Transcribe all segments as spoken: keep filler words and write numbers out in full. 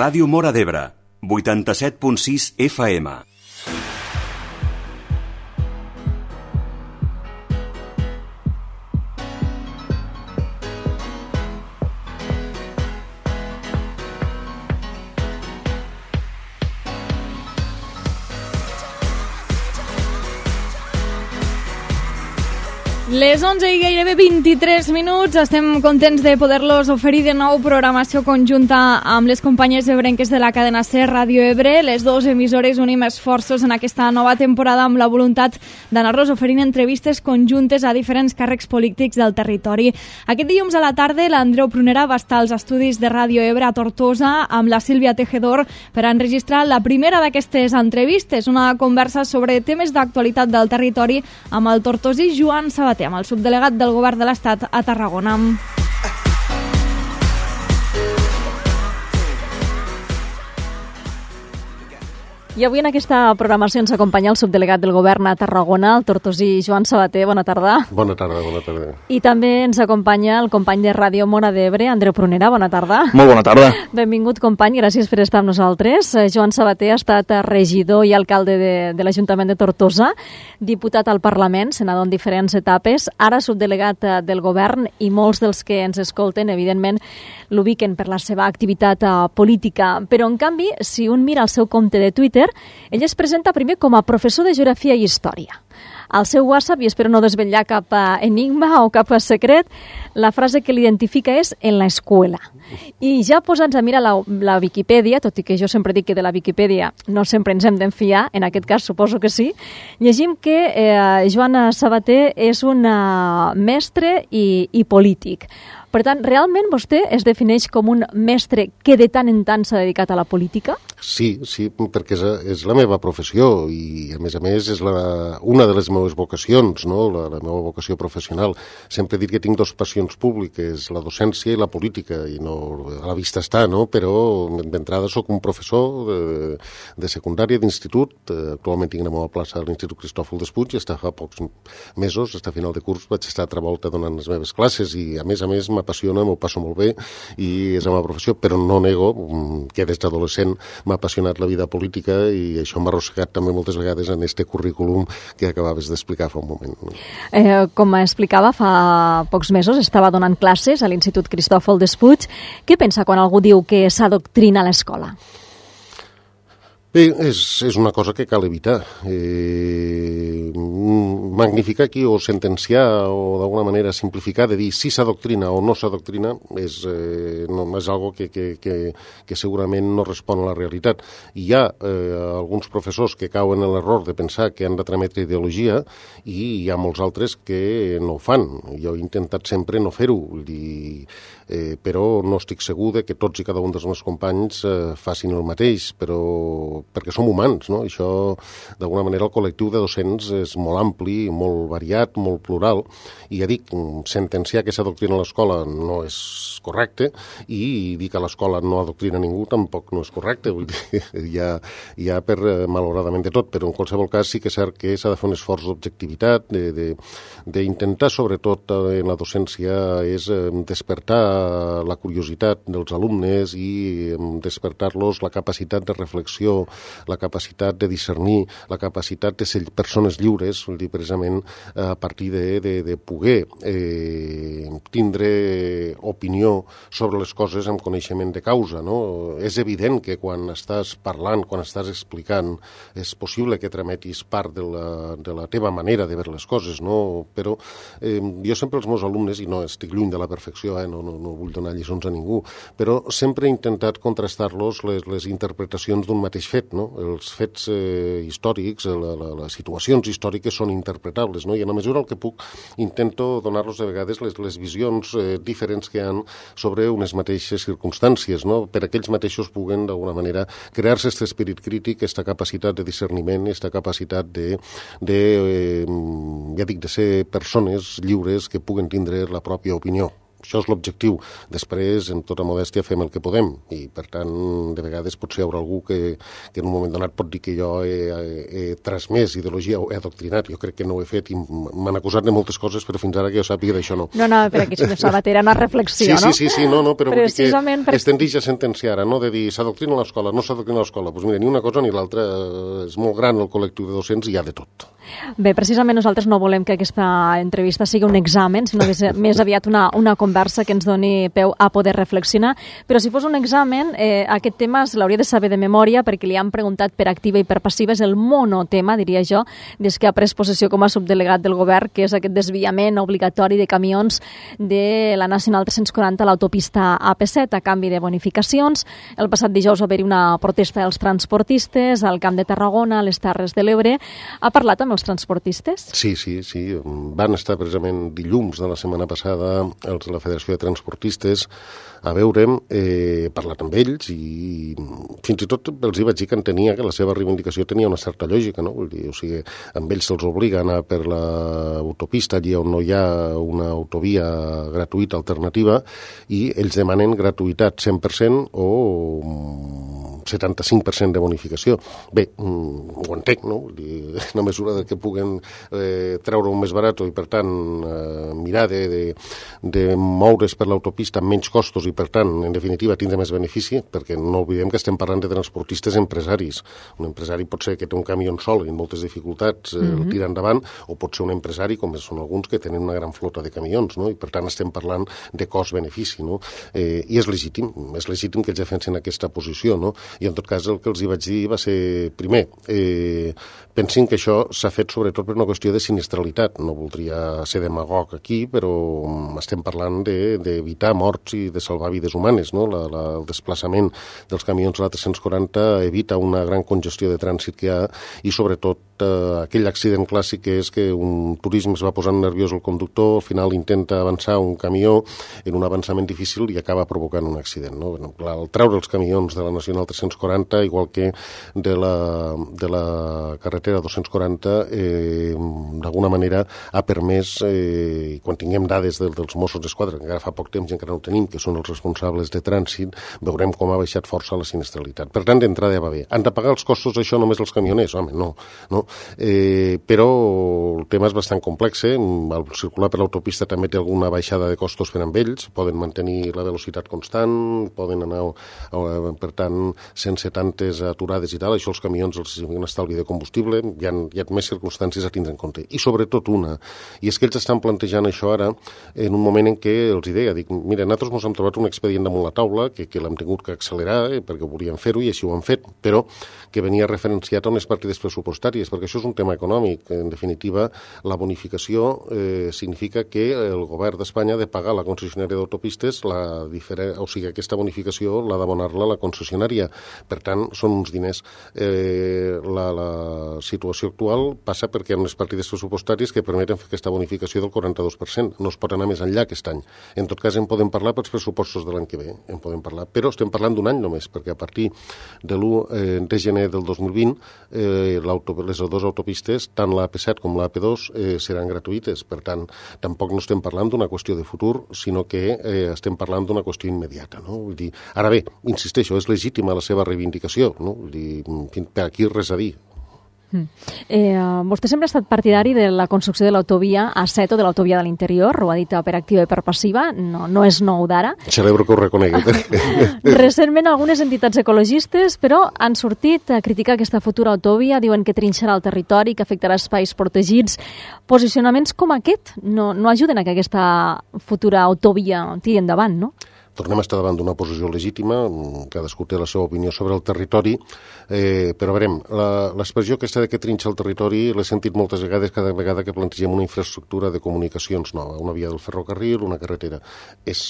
Ràdio Móra d'Ebre, vuitanta-set punt sis F M. Les onze i gairebé vint-i-tres minuts. Estem contents de poder-los oferir de nou programació conjunta amb les companyes ebrenques de la cadena SER Ràdio Ebre. Les dues emissores unim esforços en aquesta nova temporada amb la voluntat d'anar-los oferint entrevistes conjuntes a diferents càrrecs polítics del territori. Aquest dilluns a la tarda l'Andreu Prunera va estar als estudis de Ràdio Ebre a Tortosa amb la Sílvia Tejedor per a enregistrar la primera d'aquestes entrevistes, una conversa sobre temes d'actualitat del territori amb el tortosí Joan Sabater, amb el subdelegat del Govern de l'Estat a Tarragona. I avui en aquesta programació ens acompanya el subdelegat del Govern a Tarragona, el tortosí Joan Sabater. Bona tarda. Bona tarda, bona tarda. I també ens acompanya el company de Ràdio Móra d'Ebre, Andreu Prunera. Bona tarda. Molt bona tarda. Benvingut, company, gràcies per estar amb nosaltres. Joan Sabater ha estat regidor i alcalde de, de l'Ajuntament de Tortosa, diputat al Parlament, senador en diferents etapes, ara subdelegat del Govern, i molts dels que ens escolten, evidentment, l'ubiquen per la seva activitat política. Però, en canvi, si un mira el seu compte de Twitter, ell es presenta primer com a professor de Geografia i Història. Al seu WhatsApp, i espero no desvetllar cap enigma o cap secret, la frase que l'identifica és en la escuela. I ja posats a mirar la, la Viquipèdia, tot i que jo sempre dic que de la Viquipèdia no sempre ens hem d'enfiar, en aquest cas suposo que sí, llegim que eh, Joan Sabater és un mestre i, i polític. Per tant, realment vostè es defineix com un mestre que de tant en tant s'ha dedicat a la política? Sí, sí, perquè és, és la meva professió i, a més a més, és la, una de les meves vocacions, no? la, la meva vocació professional. Sempre he dit que tinc dos passions públiques, la docència i la política, i no, a la vista està, no? Però d'entrada sóc un professor de, de secundària, d'institut. Actualment tinc una meva plaça a l'Institut Cristòfol Despuig i fins fa pocs mesos, fins a final de curs, vaig estar altra volta donant les meves classes i, a més a més, m'apassiona, m'ho passo molt bé i és la meva professió, però no nego que des d'adolescent m'ha apassionat la vida política i això m'ha arrossegat també moltes vegades en este currículum que acabaves d'explicar fa un moment. Eh, com explicava, fa pocs mesos estava donant classes a l'Institut Cristòfol Despuig. Què pensa quan algú diu que s'adoctrina a l'escola? Bé, és, és una cosa que cal evitar. Eh, magnificar aquí o sentenciar o d'alguna manera simplificar de dir si s'adoctrina o no s'adoctrina és, eh, no, és algo que, que, que, que segurament no respon a la realitat. Hi ha eh, alguns professors que cauen en l'error de pensar que han de trametre ideologia i hi ha molts altres que no ho fan. Jo he intentat sempre no fer-ho, vull dir, eh, però no estic segur de que tots i cada un dels meus companys eh, facin el mateix, però perquè som humans, no? Això, d'alguna manera, el col·lectiu de docents és molt ampli, molt variat, molt plural, i ja dic, sentenciar que s'adoctrina a l'escola no és correcte, i dir que a l'escola no adoctrina ningú tampoc no és correcte, vull dir, hi ha, hi ha per, malauradament, de tot, però en qualsevol cas sí que és cert que s'ha de fer un esforç d'objectivitat, d'intentar, sobretot, en la docència, és despertar la curiositat dels alumnes i despertar-los la capacitat de reflexió, la capacitat de discernir, la capacitat de ser persones lliures, vull dir, precisament a partir de, de, de poder eh, tindre opinió sobre les coses amb coneixement de causa, no? És evident que quan estàs parlant, quan estàs explicant, és possible que trametis part de la, de la teva manera de veure les coses, no? Però eh, jo sempre els meus alumnes, i no estic lluny de la perfecció, eh, no, no, no vull donar lliçons a ningú, però sempre he intentat contrastar-los les, les interpretacions d'un mateix fet, no? Els fets eh, històrics, la, la, les situacions històriques són interpretables, no? I en la mesura el que puc intento donar-los de vegades les, les visions eh, diferents que hi ha sobre unes mateixes circumstàncies, no? Per aquells mateixos puguen d'alguna manera crear-se aquest esperit crític, aquesta capacitat de discerniment, aquesta capacitat de, de eh, ja dic, de ser persones lliures que puguen tindre la pròpia opinió. Això és l'objectiu. Després, en tota modèstia, fem el que podem i, per tant, de vegades potser hi haurà algú que, que en un moment donat pot dir que jo he, he, he transmès ideologia o he adoctrinat. Jo crec que no ho he fet i m'han acusat de moltes coses, però fins ara que jo sàpiga d'això no. No, no, per aquí, senyor Sabater, era una reflexió, sí, no? Sí, sí, sí, no, no, però Precisament vull dir que per... es tendeix a sentenciar ara, no?, de dir s'adoctrina a l'escola, no s'adoctrina a l'escola. Doncs mira, ni una cosa ni l'altra, és molt gran el col·lectiu de docents i hi ha de tot. Bé, precisament nosaltres no volem que aquesta entrevista sigui un examen, sinó que és més aviat una, una conversa que ens doni peu a poder reflexionar. Però si fos un examen, eh, aquest tema se l'hauria de saber de memòria perquè li han preguntat per activa i per passiva. És el monotema, diria jo, des que ha pres possessió com a subdelegat del govern, que és aquest desviament obligatori de camions de la Nacional tres-cents quaranta a l'autopista A P set a canvi de bonificacions. El passat dijous va haver-hi una protesta dels transportistes al Camp de Tarragona, a les Terres de l'Ebre. Ha parlat amb els transportistes? Sí, sí, sí. Van estar precisament dilluns de la setmana passada els de la Federació de Transportistes a veure'm, he eh, parlat amb ells i fins i tot els hi vaig dir que entenia que la seva reivindicació tenia una certa lògica, no? Vull dir, o sigui, amb ells se'ls obliga a anar per l'autopista allí on no hi ha una autovia gratuïta alternativa i ells demanen gratuïtat cent per cent o setanta-cinc per cent de bonificació. Bé, ho entenc, no? Vull dir, en la mesura de que puguen eh, treure-ho més barat i, per tant, eh, mirar de, de, de moure's per l'autopista amb menys costos i, per tant, en definitiva, tindre més benefici, perquè no oblidem que estem parlant de transportistes empresaris. Un empresari pot ser que té un camió sol i moltes dificultats eh, mm-hmm. el tira endavant, o pot ser un empresari, com són alguns, que tenen una gran flota de camions, no? I, per tant, estem parlant de cost-benefici, no? Eh, I és legítim, és legítim que ells defensin aquesta posició, no? I, en tot cas, el que els hi vaig dir va ser, primer, eh, pensin que això s'ha fet sobretot per una qüestió de sinistralitat. No voldria ser demagog aquí, però estem parlant d'evitar de, morts i de salvar vides humanes, no? La, la, el desplaçament dels camions a la tres-cents quaranta evita una gran congestió de trànsit que hi ha i, sobretot, eh, aquell accident clàssic que és que un turisme es va posant nerviós el conductor, al final intenta avançar un camió en un avançament difícil i acaba provocant un accident, no? Bueno, el treure els camions de la Nacional tres-cents quaranta, igual que de la, de la carretera dos-cents quaranta, eh, d'alguna manera ha permès, eh, quan tinguem dades del, dels Mossos d'Esquadra, que encara fa poc temps i encara no tenim, que són els responsables de trànsit, veurem com ha baixat força la sinistralitat. Per tant, d'entrada ja va bé. Han de pagar els costos això només els camioners? Home, no. no? Eh, però el tema és bastant complex. Eh? El circular per l'autopista també té alguna baixada de costos per amb ells, poden mantenir la velocitat constant, poden anar, per tant, sense tantes aturades i tal. Això els camions els significa un estalvi de combustible, hi ha, hi ha més circumstàncies a tindre en compte. I sobretot una, i és que ells estan plantejant això ara en un moment en què els deia, dic, mira, nosaltres ens hem trobat un expedient damunt la taula, que, que l'hem tingut que accelerar, eh, perquè volíem fer-ho i així ho han fet, però que venia referenciat a unes partides pressupostàries, perquè això és un tema econòmic. En definitiva, la bonificació eh, significa que el govern d'Espanya ha de pagar a la concessionària d'autopistes, la diferent, o sigui, aquesta bonificació l'ha d'abonar-la a la concessionària. Per tant, són uns diners. Eh, la, la situació actual passa perquè hi ha unes partides pressupostàries que permeten fer aquesta bonificació del quaranta-dos per cent. No es pot anar més enllà aquest any. En tot cas, en podem parlar pels pressupostos de l'any que ve, en podem parlar. Però estem parlant d'un any només, perquè a partir de l'u de gener del dos mil vint eh, les dues autopistes, tant la A P set com la A P dos, eh, seran gratuïtes. Per tant, tampoc no estem parlant d'una qüestió de futur, sinó que eh, estem parlant d'una qüestió immediata. No? Vull dir, ara bé, insisteixo, és legítima la seva reivindicació. No? Vull dir, per aquí res a dir. Mm. Eh, vostè sempre ha estat partidari de la construcció de l'autovia A set o de l'autovia de l'interior, ho ha dit per activa i per passiva, no, no és nou d'ara. Celebro que ho reconegui. Recentment algunes entitats ecologistes, però, han sortit a criticar aquesta futura autovia, diuen que trinxarà el territori, que afectarà espais protegits. Posicionaments com aquest no, no ajuden a que aquesta futura autovia tiri endavant, no? Tornem a estar davant d'una posició legítima, cadascú té la seva opinió sobre el territori, eh, però veurem, l'expressió aquesta de que trinxa el territori l'he sentit moltes vegades cada vegada que plantegem una infraestructura de comunicacions nova, una via del ferrocarril, una carretera. És,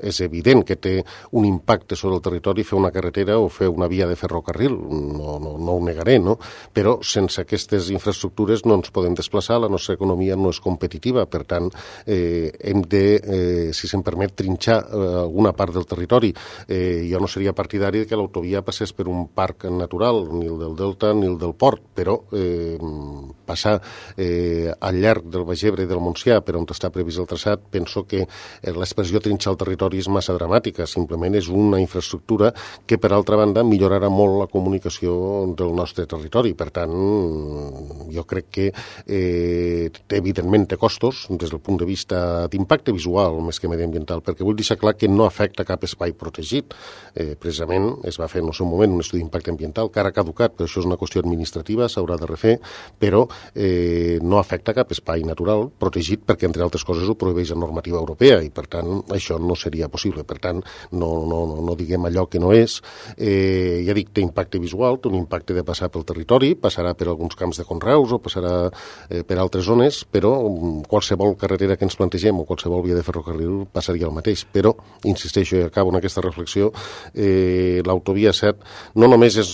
és evident que té un impacte sobre el territori fer una carretera o fer una via de ferrocarril, no, no, no ho negaré, no? Però sense aquestes infraestructures no ens podem desplaçar, la nostra economia no és competitiva, per tant, eh, hem de, eh, si se'm permet, trinxar eh, alguna una part del territori. Eh, jo no seria partidari que l'autovia passés per un parc natural, ni el del Delta ni el del Port, però eh, passar eh, al llarg del Baix Ebre i del Montsià, per on està previst el traçat, penso que l'expressió trinxar el territori és massa dramàtica, simplement és una infraestructura que, per altra banda, millorarà molt la comunicació del nostre territori. Per tant, jo crec que eh, evidentment té costos des del punt de vista d'impacte visual més que mediambiental, perquè vull deixar clar que no afecta cap espai protegit. Eh, precisament es va fer en el seu moment un estudi d'impacte ambiental que ara ha caducat, però això és una qüestió administrativa, s'haurà de refer, però eh, no afecta cap espai natural protegit perquè, entre altres coses, ho prohibeix la normativa europea i, per tant, això no seria possible. Per tant, no, no, no diguem allò que no és. Eh, ja dic, té impacte visual, té un impacte de passar pel territori, passarà per alguns camps de conreus o passarà eh, per altres zones, però qualsevol carretera que ens plantegem o qualsevol via de ferrocarril passaria el mateix. Però, insisteixo i acabo en aquesta reflexió, eh, l'autovia set no només és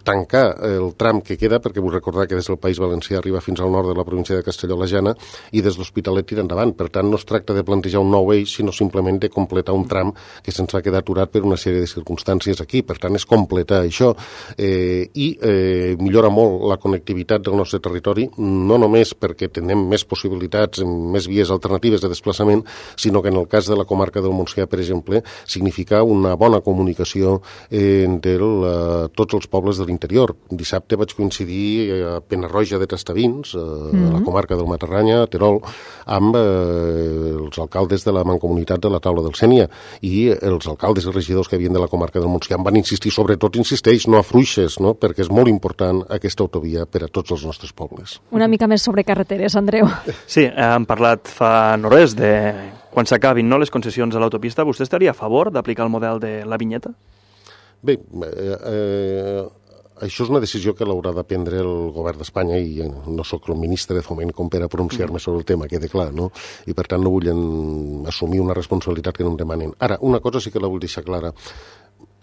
tancar el tram que queda, perquè vull recordar que des del País Valencià arriba fins al nord de la província de Castelló-La Jana i des d'Hospitalet tira endavant. Per tant, no es tracta de plantejar un nou eix, sinó simplement de completar un tram que se'ns va quedar aturat per una sèrie de circumstàncies aquí. Per tant, és completar això eh, i eh, millora molt la connectivitat del nostre territori, no només perquè tenem més possibilitats, més vies alternatives de desplaçament, sinó que en el cas de la comarca del Montsià, per exemple, significa una bona comunicació eh, de la, tots els pobles de l'interior. Dissabte vaig coincidir a Penarroja de Tastavins, eh, mm-hmm. a la comarca del Matarranya, a Terol, amb eh, els alcaldes de la Mancomunitat de la Taula del Sénia i els alcaldes i regidors que havien de la comarca del Montsià van insistir, sobretot insisteix, no afluixes, no? Perquè és molt important aquesta autovia per a tots els nostres pobles. Una mica més sobre carreteres, Andreu. Sí, hem parlat fa no res de quan s'acabin, no, les concessions a l'autopista. Vostè estaria a favor d'aplicar el model de la vinyeta? Bé, eh, eh, això és una decisió que l'haurà de prendre el govern d'Espanya i no sóc el ministre de Foment com per a pronunciar-me sobre el tema, quede clar, no? I per tant no vull en, assumir una responsabilitat que no em demanen. Ara, una cosa sí que la vull deixar clara.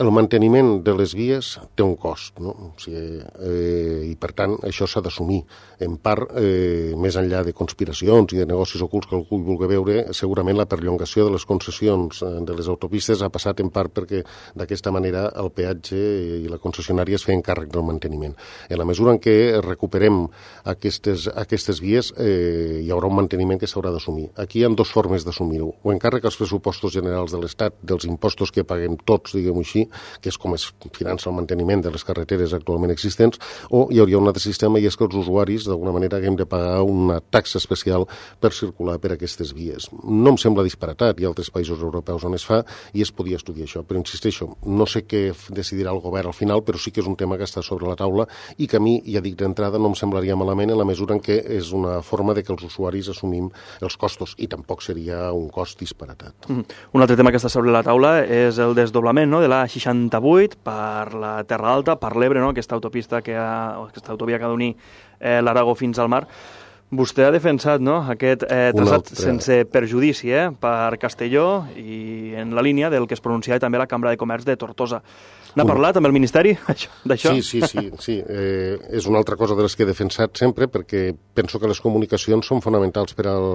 El manteniment de les vies té un cost, no? O sigui, eh, i per tant això s'ha d'assumir. En part, eh, més enllà de conspiracions i de negocis ocults que algú vulgui veure, segurament la perllongació de les concessions de les autopistes ha passat en part perquè d'aquesta manera el peatge i la concessionària es feien càrrec del manteniment. En la mesura en què recuperem aquestes, aquestes vies, eh, hi haurà un manteniment que s'haurà d'assumir. Aquí hi ha dues formes d'assumir-ho. O encàrrec als pressupostos generals de l'Estat, dels impostos que paguem tots, diguem-ho així, que és com es finança el manteniment de les carreteres actualment existents, o hi hauria un altre sistema i és que els usuaris d'alguna manera haguem de pagar una taxa especial per circular per aquestes vies. No em sembla disparatat, hi ha altres països europeus on es fa i es podia estudiar això, però insisteixo, no sé què decidirà el govern al final, però sí que és un tema que està sobre la taula i que a mi, ja dic d'entrada, no em semblaria malament en la mesura en què és una forma de que els usuaris assumim els costos i tampoc seria un cost disparatat. Mm. Un altre tema que està sobre la taula és el desdoblament, no?, de la seixanta-vuit per la Terra Alta, per l'Ebre, no?, aquesta autopista que ha, aquesta autovia que ha d'unir eh, l'Aragó fins al mar. Vostè ha defensat, no?, aquest eh, traçat altre... sense perjudici eh, per Castelló i en la línia del que es pronunciava també la Cambra de Comerç de Tortosa. N'ha parlat amb el Ministeri d'això? Sí, sí, sí. sí. Eh, és una altra cosa de les que he defensat sempre perquè penso que les comunicacions són fonamentals per al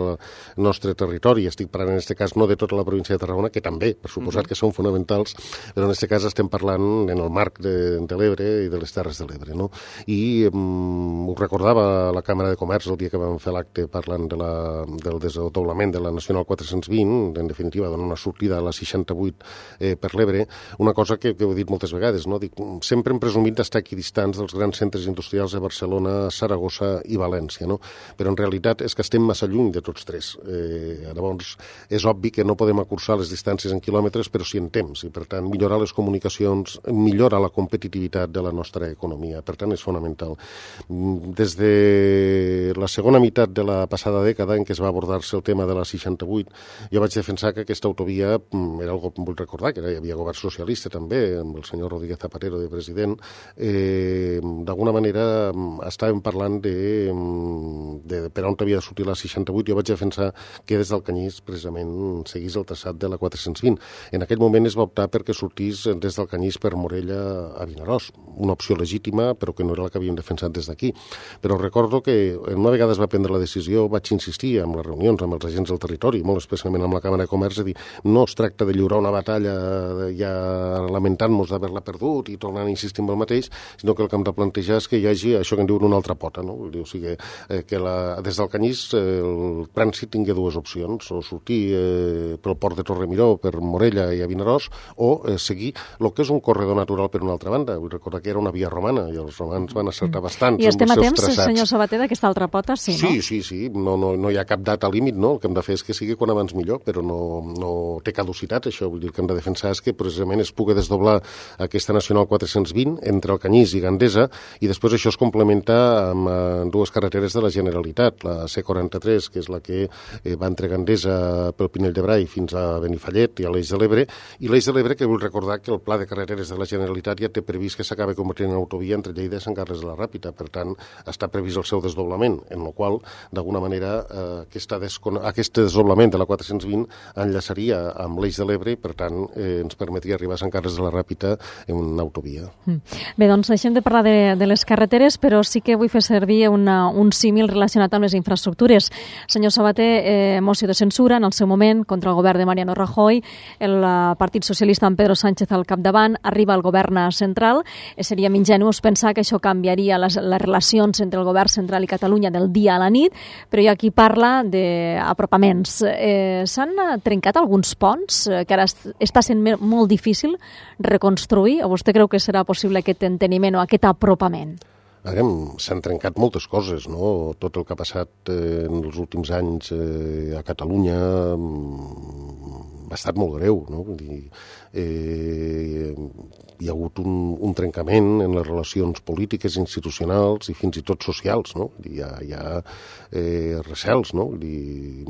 nostre territori. Estic parlant en aquest cas no de tota la província de Tarragona, que també, per suposat mm-hmm. que són fonamentals, però en aquest cas estem parlant en el marc de, de l'Ebre i de les Terres de l'Ebre, no? I um, ho recordava la Càmera de Comerç el dia que vam fer l'acte parlant de la, del desdoblament de la Nacional quatre-cents vint, en definitiva, donar una sortida a la seixanta-vuit eh, per l'Ebre, una cosa que, que he dit moltes vegades, no? Dic, sempre hem presumit d'estar equidistants dels grans centres industrials de Barcelona, Saragossa i València, no? Però en realitat és que estem massa lluny de tots tres. Eh, llavors, és obvi que no podem acursar les distàncies en quilòmetres, però sí en temps, i per tant millorar les comunicacions millora la competitivitat de la nostra economia, per tant és fonamental. Des de la segona meitat de la passada dècada en què es va abordar-se el tema de la seixanta-vuit, jo vaig defensar que aquesta autovia era algo, vull recordar, que hi havia govern socialista també, amb el senyor Rodríguez Zapatero de president, eh, d'alguna manera estàvem parlant de, de per on havia de sortir la seixanta-vuit. Jo vaig defensar que des del Canyís precisament seguís el traçat de la quatre-cents vint. En aquell moment es va optar perquè sortís des del Canyís per Morella a Vinaròs, una opció legítima però que no era la que havíem defensat des d'aquí. Però recordo que una vegada es va va prendre la decisió vaig insistir en les reunions amb els agents del territori, molt especialment amb la Càmera de Comerç, de dir, no es tracta de lliurar una batalla ja lamentant-nos d'haver-la perdut i tornant a insistir en el mateix, sinó que el que hem de plantejar és que hi hagi això que en diuen una altra pota, no? O sigui, eh, que la, des del Canyís eh, el trànsit tingui dues opcions, o sortir eh, pel port de Torremiró, per Morella i a Vinaròs, o eh, seguir el que és un corredor natural per una altra banda. Vull recordar que era una via romana i els romans van acertar bastant. I estem a temps, senyor Sabater, d'aquesta altra pota, sí, no? Sí, sí, sí. No, no, no hi ha cap data límit, no? El que hem de fer és que sigui quan abans millor, però no, no té caducitat, això. Vull dir, el que hem de defensar és que precisament es pugui desdoblar aquesta Nacional quatre-cents vint entre el Canyís i Gandesa, i després això es complementa amb eh, dues carreteres de la Generalitat, la C quaranta-tres, que és la que eh, va entre Gandesa pel Pinell de Brai fins a Benifallet i a l'Eix de l'Ebre, i l'Eix de l'Ebre, que vull recordar que el Pla de Carreteres de la Generalitat ja té previst que s'acabi convertint en autovia entre Lleida i Sant Carles de la Ràpita. Per tant, està previst el seu desdoblament, en el qual, d'alguna manera, eh, aquesta descon... aquest desdoblament de la quatre-cents vint enllaçaria amb l'Eix de l'Ebre i, per tant, eh, ens permetria arribar a Sant Carles de la Ràpita en una autovia. Mm. Bé, doncs deixem de parlar de, de les carreteres, però sí que vull fer servir una, un símil relacionat amb les infraestructures. Senyor Sabater, eh, moció de censura en el seu moment contra el govern de Mariano Rajoy, el Partit Socialista amb Pedro Sánchez al capdavant, arriba al govern central. Eh, seríem ingenus pensar que això canviaria les, les relacions entre el govern central i Catalunya del dia a la nit, però hi ha qui parla d'apropaments. Eh, S'han trencat alguns ponts eh, que ara està sent molt difícil reconstruir, o vostè creu que serà possible aquest enteniment o aquest apropament? S'han trencat moltes coses, no? Tot el que ha passat eh, en els últims anys eh, a Catalunya ha estat molt greu, no? Vull dir, eh, hi ha hagut un, un trencament en les relacions polítiques, institucionals i fins i tot socials, no? Vull dir, hi ha, hi ha eh, recels, no? Vull dir,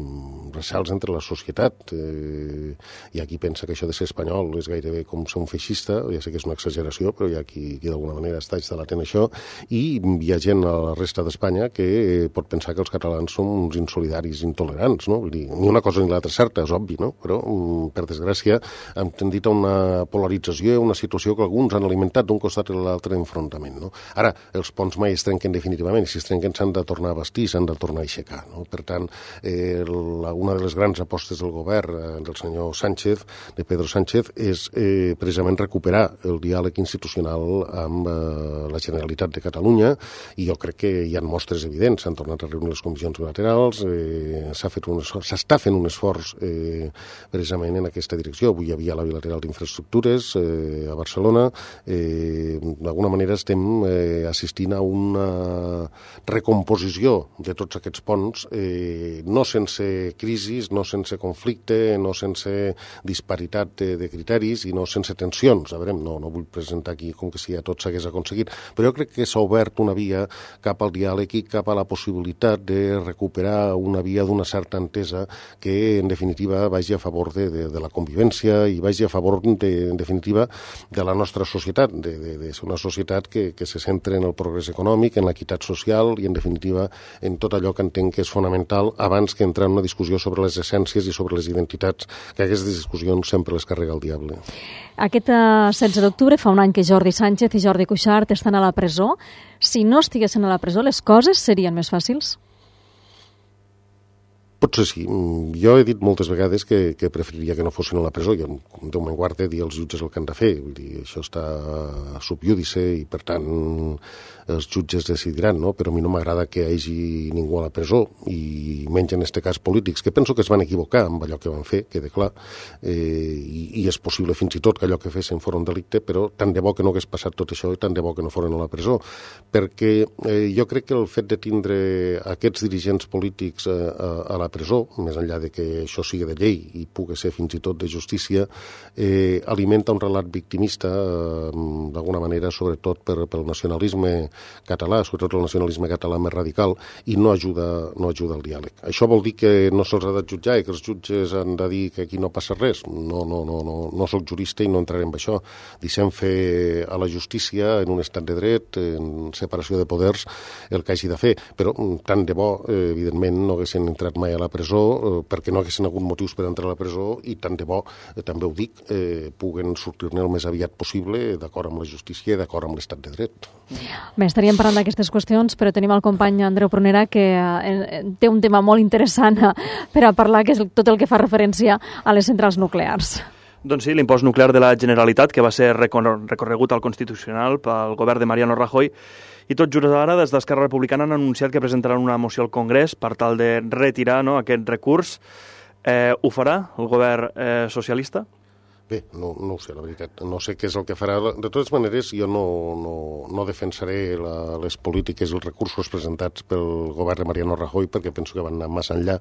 recels entre la societat. Eh, hi ha qui pensa que això de ser espanyol és gairebé com ser un feixista, ja sé que és una exageració, però hi ha qui, qui d'alguna manera està instal·lat en això, i hi ha gent a la resta d'Espanya que eh, pot pensar que els catalans són uns insolidaris intolerants, no? Vull dir, ni una cosa ni l'altra és certa, és obvi, no? Però per desgràcia, hem tendit a una polarització, una situació que alguns han alimentat d'un costat i l'altre enfrontament, no? Ara, els ponts mai es trenquen definitivament, i si es trenquen s'han de tornar a bastir, s'han de tornar a aixecar, no? Per tant, eh, la, una de les grans apostes del govern, eh, del senyor Sánchez, de Pedro Sánchez, és eh, precisament recuperar el diàleg institucional amb eh, la Generalitat de Catalunya, i jo crec que hi ha mostres evidents, s'han tornat a reunir les comissions bilaterals, eh, s'ha fet un esforç, s'està fent un esforç eh, precisament en aquesta direcció. Avui hi havia la bilateral d'infraestructures eh, a Barcelona. Eh, D'alguna manera estem eh, assistint a una recomposició de tots aquests ponts, eh, no sense crisis, no sense conflicte, no sense disparitat de, de criteris i no sense tensions. A veure, no, no vull presentar aquí com que si ja tot s'hagués aconseguit, però jo crec que s'ha obert una via cap al diàleg i cap a la possibilitat de recuperar una via d'una certa entesa que, en definitiva, vagi a favor de, de, de la convivència i vagi a favor, de, en definitiva, de la nostra societat, de, de, de ser una societat que, que se centra en el progrés econòmic, en l'equitat social i, en definitiva, en tot allò que entenc que és fonamental abans que entrar en una discussió sobre les essències i sobre les identitats, que aquestes discussions sempre les carrega el diable. Aquest setze d'octubre fa un any que Jordi Sánchez i Jordi Cuixart estan a la presó. Si no estiguessin a la presó, les coses serien més fàcils? Potser sí. Jo he dit moltes vegades que, que preferiria que no fossin a la presó. Jo, Déu me'n guarde, dir als jutges el que han de fer. Vull dir, això està sub judice i, per tant, els jutges decidiran, no? Però a mi no m'agrada que hi hagi ningú a la presó, i menys en aquest cas polítics, que penso que es van equivocar amb allò que van fer, queda clar, eh, i, i és possible fins i tot que allò que fessin fos un delicte, però tant de bo que no hagués passat tot això i tant de bo que no foren a la presó, perquè eh, jo crec que el fet de tindre aquests dirigents polítics eh, a, a la presó, més enllà de que això sigui de llei i pugui ser fins i tot de justícia, eh, alimenta un relat victimista, eh, d'alguna manera, sobretot per, pel nacionalisme català, sobretot el nacionalisme català més radical, i no ajuda, no ajuda el diàleg. Això vol dir que no se'ls ha de jutjar i que els jutges han de dir que aquí no passa res. No, no, no, no, no soc jurista i no entraré en això. Deixem fer a la justícia, en un estat de dret, en separació de poders, el que hagi de fer. Però tant de bo, eh, evidentment, no haguessin entrat mai a la presó eh, perquè no haguessin hagut motius per entrar a la presó i tant de bo, eh, també ho dic, eh, puguen sortir-ne el més aviat possible d'acord amb la justícia i d'acord amb l'estat de dret. Bé, estaríem parlant d'aquestes qüestions, però tenim el company Andreu Prunera que eh, té un tema molt interessant per a parlar, que és tot el que fa referència a les centrals nuclears. Doncs sí, l'impost nuclear de la Generalitat, que va ser recorregut al Constitucional pel govern de Mariano Rajoy, i tot just ara, des d'Esquerra Republicana han anunciat que presentaran una moció al Congrés per tal de retirar no, aquest recurs. Eh, ho farà el govern eh, socialista? Bé, no, no ho sé, la veritat. No sé què és el que farà. De totes maneres, jo no, no, no defensaré la, les polítiques i els recursos presentats pel govern de Mariano Rajoy perquè penso que van anar massa enllà.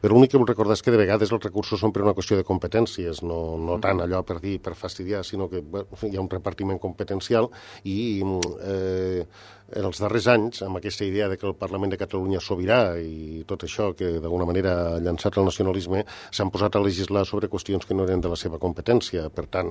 Però l'únic que vull recordar és que de vegades els recursos són per una qüestió de competències, no, no tant allò per dir, per fastidiar, sinó que bé, hi ha un repartiment competencial i eh, en els darrers anys, amb aquesta idea de que el Parlament de Catalunya és sobirà i tot això que d'alguna manera ha llançat el nacionalisme, s'han posat a legislar sobre qüestions que no eren de la seva competència. Per tant,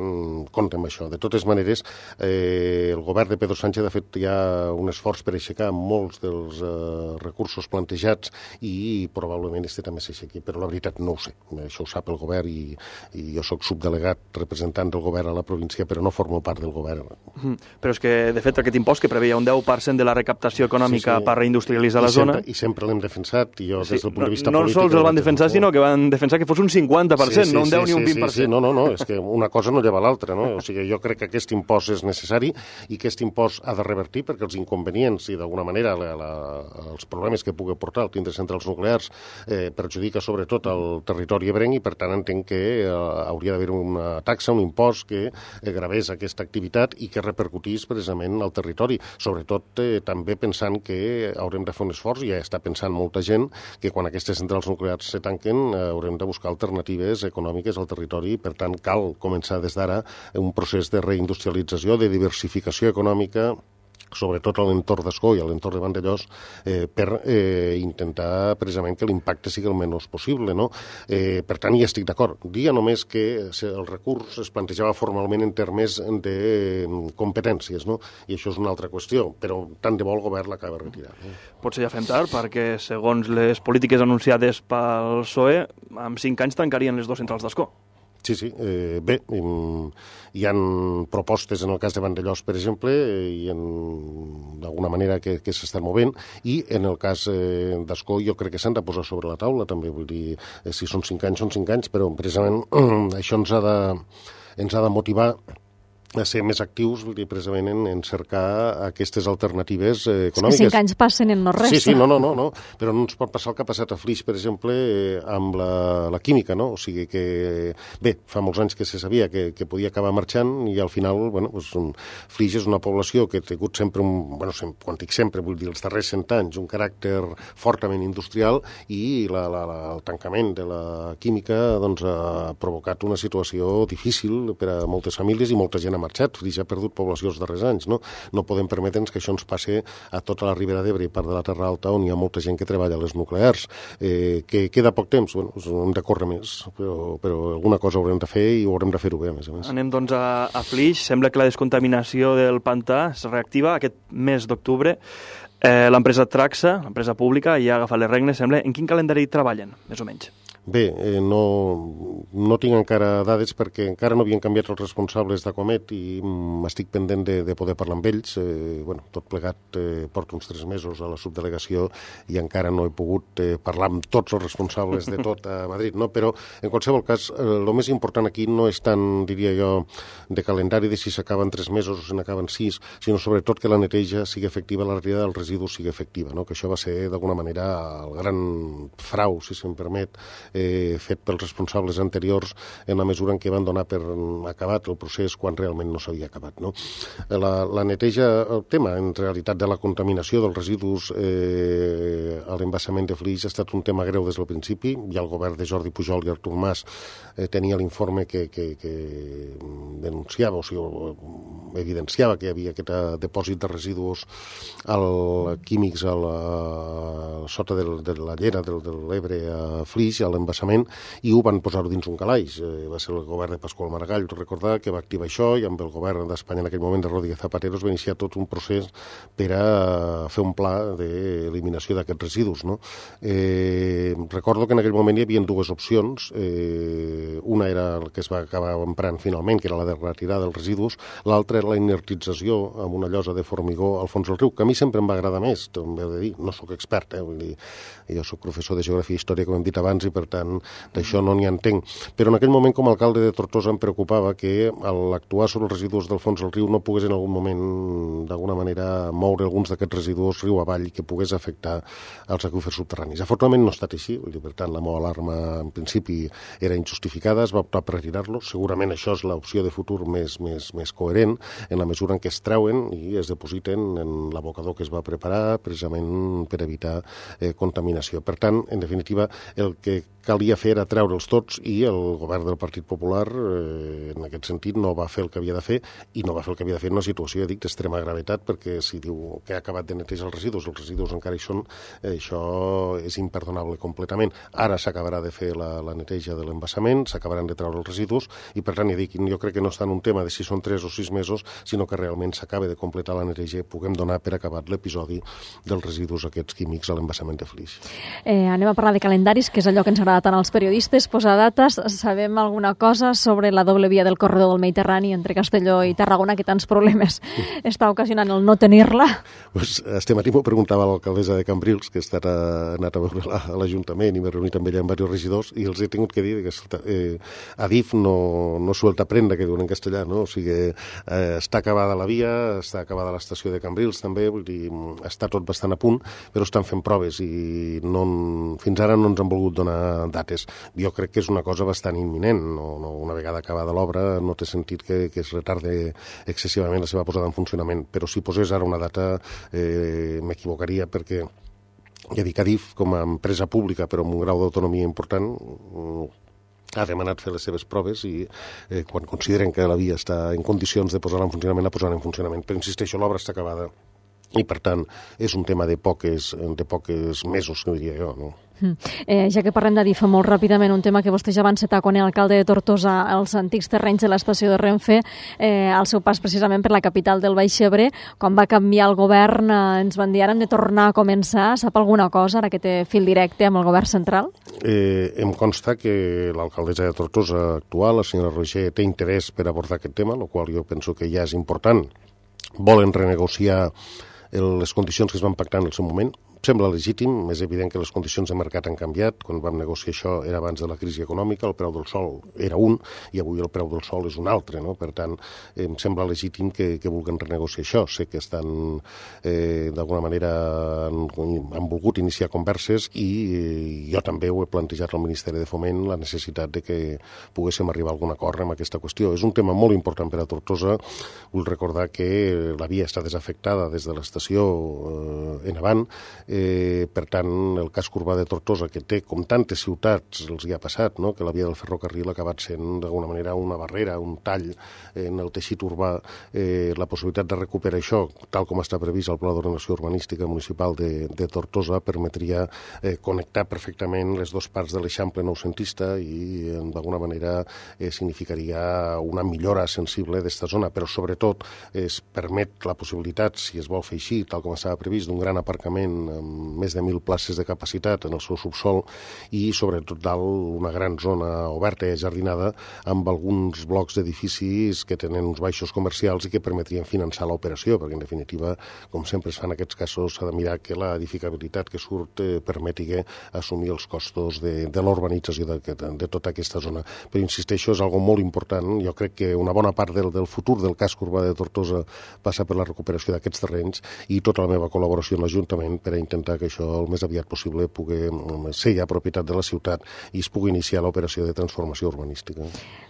compte amb això. De totes maneres, eh, el govern de Pedro Sánchez ha fet ja un esforç per aixecar molts dels eh, recursos plantejats i probablement este també s'aixequi, però la veritat no ho sé. Això ho sap el govern i, i jo sóc subdelegat representant del govern a la província, però no formo part del govern. Mm, però és que, de fet, aquest impost que preveia un deu per cent de la recaptació econòmica sí, sí. per reindustrialitzar la I sempre, zona... I sempre l'hem defensat, i jo sí, des del punt de vista no, polític... No sols el van defensar, sinó que van defensar que fos un cinquanta per cent, sí, sí, no un deu sí, ni un sí, vint per cent. Sí, sí, no, no, no, és que una cosa no lleva l'altra, no? O sigui, jo crec que aquest impost és necessari i que aquest impost ha de revertir perquè els inconvenients i d'alguna manera la, la, els problemes que pugui portar el tindre centrals nuclears eh, perjudica sobretot el territori ebrenc i per tant entenc que eh, hauria d'haver una taxa, un impost que eh, gravés aquesta activitat i que repercutís precisament al territori. Sobretot eh, també pensant que haurem de fer un esforç, i ja està pensant molta gent, que quan aquestes centrals nuclears se tanquen eh, haurem de buscar alternatives econòmiques al territori i per tant cal començar des d'ara un procés de reindustrialització, de diversificació econòmica, sobretot a l'entorn d'Escó i a l'entorn de Vandellós, eh, per eh, intentar precisament que l'impacte sigui el menys possible, no? Eh, per tant, hi estic d'acord. Dia només que el recurs es plantejava formalment en termes de competències, no? I això és una altra qüestió, però tant de bo el govern l'acaba retirant. No? Potser ja fem tard, perquè segons les polítiques anunciades pel P S O E, en cinc anys tancarien les dues centrals d'Escó. Sí, sí. Eh, bé, hi ha propostes en el cas de Vandellós, per exemple, i d'alguna manera que, que s'estan movent, i en el cas eh, d'Escó jo crec que s'han de posar sobre la taula, també, vull dir, eh, si són cinc anys, són cinc anys, però precisament això ens ha de, ens ha de motivar a ser més actius, vull dir, precisament en, en cercar aquestes alternatives eh, econòmiques. És que cinc anys passen en no res. Sí, sí, no, no, no, no, però no ens pot passar el que ha passat a Flix, per exemple, eh, amb la, la química, no? O sigui que, bé, fa molts anys que se sabia que, que podia acabar marxant i al final, bueno, doncs, Flix és una població que ha tingut sempre, un, bueno, sempre, quan dic sempre, vull dir, els darrers cent anys, un caràcter fortament industrial i la, la, la, el tancament de la química doncs, ha provocat una situació difícil per a moltes famílies i molta gent marxat, Flix ha perdut població els darrers anys, no? No podem permetre'ns que això ens passe a tota la Ribera d'Ebre i part de la Terra Alta on hi ha molta gent que treballa a les nuclears. Eh, que queda poc temps, bueno, hem de córrer més, però, però alguna cosa haurem de fer i ho haurem de fer-ho bé, a més a més. Anem, doncs, a, a Flix. Sembla que la descontaminació del pantà es reactiva aquest mes d'octubre. Eh, l'empresa Traxa, l'empresa pública, ja ha agafat les regnes, sembla. En quin calendari treballen, més o menys? Bé, eh, no, no tinc encara dades perquè encara no havien canviat els responsables d'Aquamet i m'estic pendent de, de poder parlar amb ells. Eh, bueno, tot plegat eh, porto uns tres mesos a la subdelegació i encara no he pogut eh, parlar amb tots els responsables de tot a Madrid, no? Però en qualsevol cas, el eh, més important aquí no és tant, diria jo, de calendari de si s'acaben tres mesos o si n'acaben sis, sinó sobretot que la neteja sigui efectiva, la retirada dels residus sigui efectiva, no? Que això va ser d'alguna manera el gran frau, si se'm permet, Eh, fet pels responsables anteriors en la mesura en què van donar per acabat el procés quan realment no s'havia acabat, no? La, la neteja, el tema en realitat de la contaminació dels residus eh, a l'embassament de Flix ha estat un tema greu des del principi. Ja el govern de Jordi Pujol i Artur Mas eh, tenia l'informe que, que, que denunciava, o sigui, evidenciava que hi havia aquest depòsit de residus al, químics a la, sota del, de la llera del, de l'Ebre a Flix, a l'embassament, i ho van posar dins un calaix. Eh, va ser el govern de Pasqual Maragall, recordar, que va activar això, i amb el govern d'Espanya en aquell moment de Rodríguez Zapatero es va iniciar tot un procés per a fer un pla d'eliminació d'aquests residus. No? Eh, recordo que en aquell moment hi havia dues opcions. Eh, una era el que es va acabar emprant finalment, que era la de retirar dels residus, l'altra era la inertització amb una llosa de formigó al fons del riu, que a mi sempre em va agradar més, també he de dir, no sóc expert, eh? Vull dir, jo sóc professor de Geografia i Història, com hem dit abans, i per tant d'això no n'hi entenc. Però en aquell moment, com a alcalde de Tortosa, em preocupava que l'actuar sobre els residus del fons del riu no pogués en algun moment, d'alguna manera, moure alguns d'aquests residus riu avall i que pogués afectar els aqüífers subterranis. Afortunadament no ha estat així, vull dir, per tant, la meva alarma en principi era injustificada, es va optar per retirar-lo. Segurament això és l'opció de futur més, més, més coherent, en la mesura en què es treuen i es depositen en l'abocador que es va preparar precisament per evitar eh, contaminació. Per tant, en definitiva, el que calia fer era treure'ls tots i el govern del Partit Popular, eh, en aquest sentit, no va fer el que havia de fer i no va fer el que havia de fer en una situació, dic, d'extrema gravetat, perquè si diu que ha acabat de netejar els residus, els residus encara hi són, eh, això és imperdonable completament. Ara s'acabarà de fer la, la neteja de l'embassament, s'acabaran de treure els residus i, per tant, ja dic, jo crec que no està en un tema de si són tres o sis mesos, sinó que realment s'acaba de completar la neteja i puguem donar per acabat l'episodi dels residus aquests químics a l'embassament de Flix. Eh, anem a parlar de calendaris, que és allò que ens agrada tant als periodistes, posar dates. Sabem alguna cosa sobre la doble via del corredor del Mediterrani entre Castelló i Tarragona, que tants problemes està ocasionant el no tenir-la? Pues, este matí m'ho preguntava l'alcaldessa de Cambrils, que ha anat a veure a l'Ajuntament i m'he reunit amb ella amb diversos regidors, i els he tingut que dir que eh, Adif no, no suelta prenda, que diuen en castellà, no? O sigui, eh, està acabada la via, està acabada l'estació de Cambrils també, vull dir, està tot bastant a punt, però estan fent proves i no, fins ara no ens han volgut donar dates. Jo crec que és una cosa bastant imminent. No, no, una vegada acabada l'obra no té sentit que, que es retarde excessivament la seva posada en funcionament, però si posés ara una data eh, m'equivocaria, perquè ja dic, Adif, com a empresa pública però amb un grau d'autonomia important, ha demanat fer les seves proves i eh, quan consideren que la via està en condicions de posar-la en funcionament, la posaran en funcionament. Però insisteixo, l'obra està acabada i, per tant, és un tema de poques, de poques mesos, que diria jo, no? Mm. Eh, ja que parlem d'Adif, molt ràpidament, un tema que vostè ja va encetar quan era alcalde de Tortosa, els antics terrenys de l'estació de Renfe, eh, al seu pas precisament per la capital del Baix Ebre, quan va canviar el govern, eh, ens van dir ara hem de tornar a començar. Sap alguna cosa, ara que té fil directe amb el govern central? Eh, em consta que l'alcaldessa de Tortosa actual, la senyora Roger, té interès per abordar aquest tema, el qual jo penso que ja és important. Volen renegociar les condicions que es van pactar en el seu moment. Sembla legítim, és evident que les condicions de mercat han canviat. Quan vam negociar això era abans de la crisi econòmica, el preu del sol era un i avui el preu del sol és un altre, no? Per tant, em sembla legítim que, que vulguin renegociar això. Sé que estan, eh, d'alguna manera, han, han volgut iniciar converses i eh, jo també ho he plantejat al Ministeri de Foment, la necessitat de que poguéssim arribar a algun acord amb aquesta qüestió. És un tema molt important per a Tortosa. Vull recordar que la via està desafectada des de l'estació eh, en avant. Eh, per tant, el casc urbà de Tortosa, que té, com tantes ciutats els hi ha passat, no? Que la via del ferrocarril ha acabat sent d'alguna manera una barrera, un tall en el teixit urbà, eh, la possibilitat de recuperar això, tal com està previst al Pla d'Ordenació Urbanística Municipal de, de Tortosa, permetria eh, connectar perfectament les dues parts de l'Eixample noucentista i eh, d'alguna manera eh, significaria una millora sensible d'esta zona, però sobretot es permet la possibilitat, si es vol fer així, tal com estava previst, d'un gran aparcament amb més de mil places de capacitat en el seu subsol i, sobretot, dalt una gran zona oberta i jardinada amb alguns blocs d'edificis que tenen uns baixos comercials i que permetrien finançar l'operació, perquè, en definitiva, com sempre es fa en aquests casos, s'ha de mirar que la edificabilitat que surt eh, permeti assumir els costos de, de l'urbanització de, de, de tota aquesta zona. Però, insisteixo, és algo molt important. Jo crec que una bona part del, del futur del casc urbà de Tortosa passa per la recuperació d'aquests terrenys i tota la meva col·laboració amb l'Ajuntament per a intentar que això el més aviat possible pugui ser ja propietat de la ciutat i es pugui iniciar l'operació de transformació urbanística.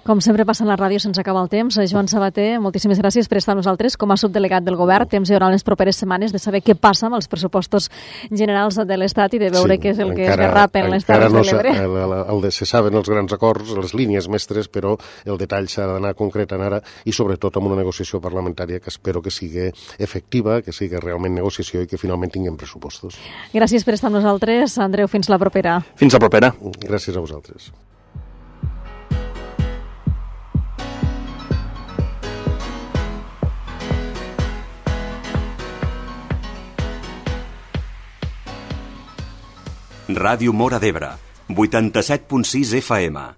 Com sempre passa en la ràdio sense acabar el temps. Joan Sabater, moltíssimes gràcies per estar amb nosaltres com a subdelegat del govern. Temps hi haurà les properes setmanes de saber què passa amb els pressupostos generals de l'Estat i de veure sí, què és el que encara, es derrapa en les Terres no de l'Ebre. El, el, el de, se saben els grans acords, les línies mestres, però el detall s'ha d'anar concretant ara i sobretot amb una negociació parlamentària que espero que sigui efectiva, que sigui realment negociació i que finalment tinguem pressupostos. Gràcies per estar amb nosaltres. Andreu, fins la propera. Fins la propera. Gràcies a vosaltres. Ràdio Móra d'Ebre, vuitanta-set punt sis F M.